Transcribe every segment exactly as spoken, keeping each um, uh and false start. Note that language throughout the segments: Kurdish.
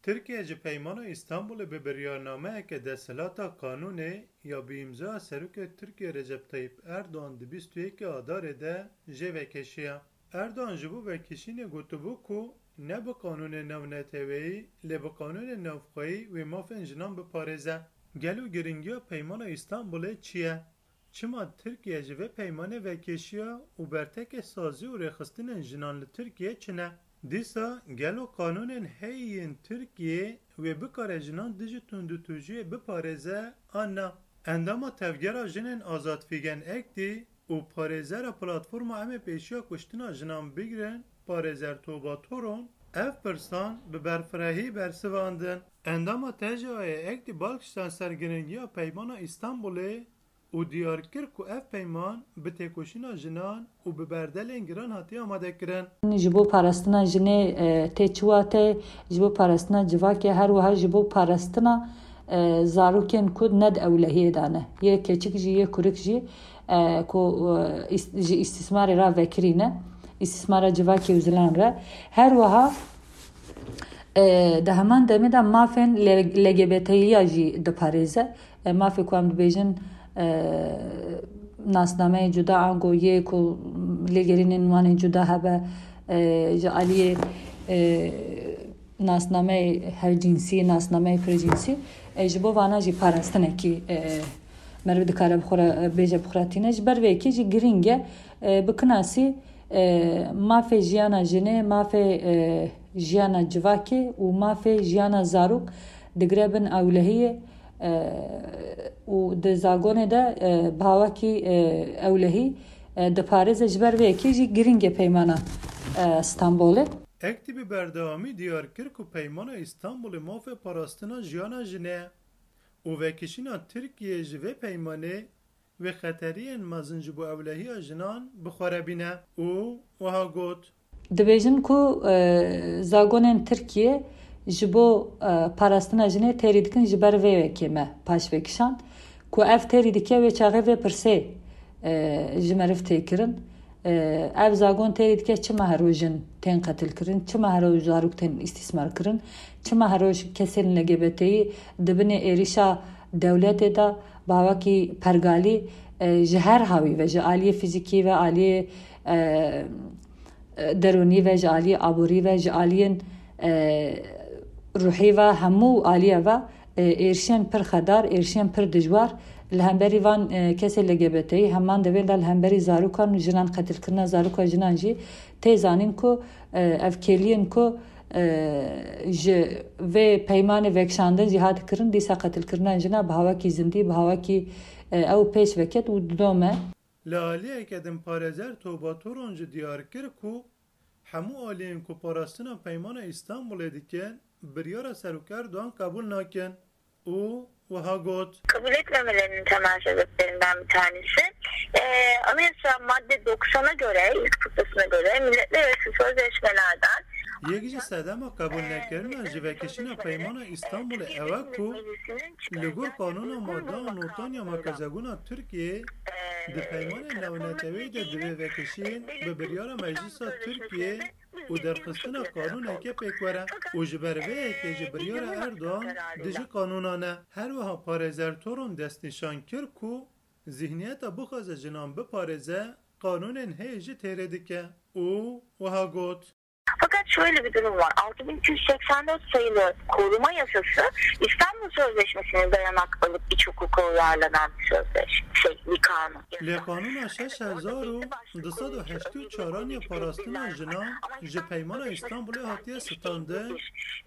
Tirkiye ji Peymana Îstanbulê bi biryarnameyeke desthilata qanûnê ya bi îmzaya Serokê Tirkiye Recep Tayyip Erdogan di bîst û yekê Adarê de jê vekişiya. Erdogan ji bo vekişînê gotibû ku ne bi qanûnên navneteweyî, lê bi qanûnên navxweyî wê mafên jinan biparêze. Gelo giringiya Peymana Îstanbulê çi ye? Çima Tirkiye ji vê peymanê vekêşiya û bertekê sazî û rêxistinên jinan li Tirkiye çi ne? Dîsa gelo qanûnên heyî yên Tirkiyê wê bikare jinan dijî tundûtûjiyê biparêze an na? Endama Tevgera Jinên Azad Fîgen Ektî û parêzera Platforma Em Ê Pêşiya Kuştina Jinan Bigrin, parêzer Toba Toron, ev pirsan bi berfirehî bersivandin. Endama T J A'yê Ektî bal kişand ser giringiya Peymana Îstanbulê û diyar kir ku ev peyman bi têkoşîna jinan û bi berdelên giran hatiye amadekirin. Ji bo parastina jinê, e, tê çi wate, ji bo parastina civakê, her wiha ji bo parastina, e, zarokên ku ne di ewlehiyê de ne. Yê keçik jî, yê kurik jî, e, ku, e, îs-, ji îstîsmarê re vekirî ne, îstîsmara civakê û zilan re. Her wiha, e, di heman demê de mafên le-, L G B T'yiya jî diparêze. E, mafê ku em dibêjin, e, nasnameyê cuda ango yê ku lêgerînên wan ên cuda hebe, e, ji aliyê, e, nasnameyê hevcînsî, nasnameyê pircînsî, e, ji bo vana jî parastinekî, e, meriv dikare bi xwe re, e, bêje bi xwe re tîne. Ji ber vê yekê jî girîng e, e, bikinasî, e, mafê jiyana jinê, mafê, e, jiyana civakê û mafê jiyana zarok digire bin ewlehiyê, e, û di zagonê de, e, bi hawakî, e, ewlehî, e, diparêze. Ji ber vê yekê jî girîng e peymana, e, Stenbolê. Ektî bi berdewamî diyar kir ku Peymana Îstanbulê mafê parastina jiyana jinê ye û vekişîna Tirkiyê ji vê peymanê wê xeteriyên mezin ji bo ewlehiya jinan bi xwe re bîne û wiha got. Dibêjin ku, e, zagonên Tirkiyê ji bo, e, parastina jinê têrî dikin, ji ber vê yekê me paş vekişand ku ev têrî dike wê çaxê vê pirsê, e, ji meriv tê kirin. E, ev zagon têrî dike çima hero jin tên qetilkirin, çima hero zarok tên îstîsmarkirin, çima hero ji kesên L G B T'yî di binê êrîşa dewletê de bi hawakî pergalî, e, ji her hawî ve, ji aliyê fîzîkî ve, aliyê, e, e, derûnî ve, ji aliyê aborî ve, ji aliyên, e, ruhî ve, hemû aliye ve, e, êrişên pir xedar, êrişên pir dijwar li hemberî van, e, kesê L G B T'yî, heman devên de li hemberî zarokan û jinan, qetilkirina zaroka jinan jî tê zanîn ku, e, ev kêliyên ku, e, ji vê peymanê vekişandin jî hat kirin, dîsa qetilkirina jina bi hawakî zindî, bi hawakî, e, ew pêş veket û didome. Li aliyeke din parêzer Toba Toron jî diyar kir ku hemû aliyên ku parastina Peymana Îstanbulê dikin, biryara Serok Erdogan qebûl nakin û wiha got. Kabul etmemelerini temel sebeplerinden bir tanesi, e, anayasa madde doksana göre, ilk fıkrasına göre milletler arası sözleşmelerden Yek ji sedema qebûlnekirina ji vekişîna Peymana Îstanbulê ew e ku li gor qanûna madan notan ya merkezebûna Tirkiyê di peymanên navneteweyî de divê vekişîn bi biryara Meclisa Tirkiyê û derxistina qanûneke pêk were û ji ber vê yekê jî biryara Erdogan dijî qanûnan e. Her wiha parêzer Toron destnîşan kir ku zihniyeta bixwaze jinan biparêze, qanûnên heye jî têrê dike û wiha got. Fakat şöyle bir durum var. Altı bin iki yüz seksen dört sayılı koruma yasası İstanbul Sözleşmesi'ne dayanak alıp iç hukuka uyarlanan bir sözleşme, şey, bir kanun. Lê qanûna şeş hezar û du sed û heştê û çaran ya parastina jinan ji Peymana Îstanbulê hatiye standin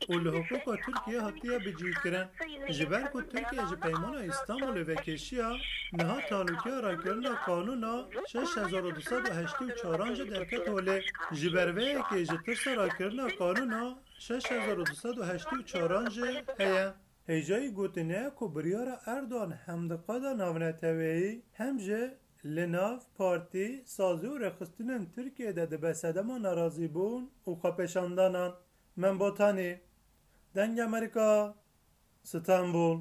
û li hiqûqa Tirkiyê hatiye bicihkirin. Ji ber ku Tirkiye ji Peymana Îstanbulê vekêşiya, niha talukiya rakirina qanûna şeş hezar û du sed û heştê û çaran jî derket holê. Ji ber vê yekê ji tirsa rakirina qanûna şeş hezar û du sed û heştê û çaran jî heye. Hêjayî gotinê ye ku biryara Erdogan hem di qada navneteweyî hem jî li nav partî, sazî û rêxistinên Tirkiyê de dibe sedema nerazîbûn û xwepêşandanan. Membotanî, Dengê Amerîka, Stenbul.